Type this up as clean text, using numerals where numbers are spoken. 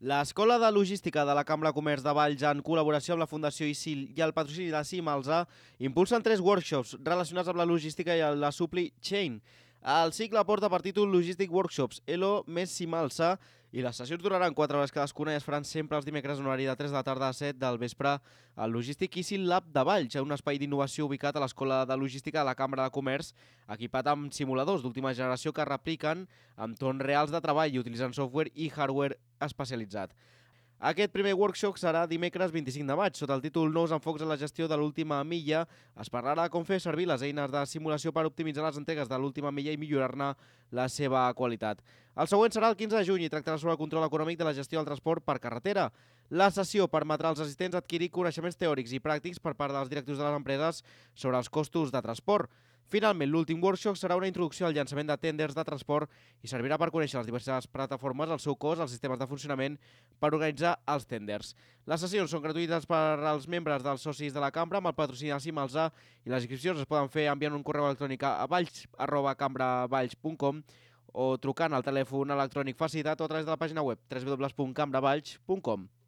L'Escola de Logística de la Cambra de Comerç de Valls, en col·laboració amb la Fundació ISIL i el patrocini de Cimalsa, impulsen 3 workshops relacionats amb la logística i la supply chain. El cicle porta per títol Logistic Workshops ELO més Cimalsa i les sessions duraran 4 hores cadascuna i es faran sempre els dimecres en horari de 3 de la tarda a 7 del vespre al Logistic ISIL Lab de Valls, un espai d'innovació ubicat a l'Escola de Logística de la Cambra de Comerç, equipat amb simuladors d'última generació que repliquen entorns reals de treball i utilitzant software i hardware especialitzat. Aquest primer workshop serà dimecres 25 de maig. Sota el títol Nous enfocs en la gestió de l'última milla, es parlarà de com fer servir les eines de simulació per optimitzar les entregues de l'última milla i millorar-ne la seva qualitat. El següent serà el 15 de juny i tractarà sobre el control econòmic de la gestió del transport per carretera. La sessió permetrà als assistents adquirir coneixements teòrics i pràctics per part dels directius de les empreses sobre els costos de transport. Finalment, l'últim workshop serà una introducció al llançament de tenders de transport i servirà per conèixer les diverses plataformes, el seu cost, els sistemes de funcionament per organitzar els tenders. Les sessions són gratuïtes per als membres dels socis de la cambra amb el patrocini de Cimalsa i les inscripcions es poden fer enviant un correu electrònic a valls@cambravalls.com o trucant al telèfon electrònic facilitat o a través de la pàgina web www.cambravalls.com.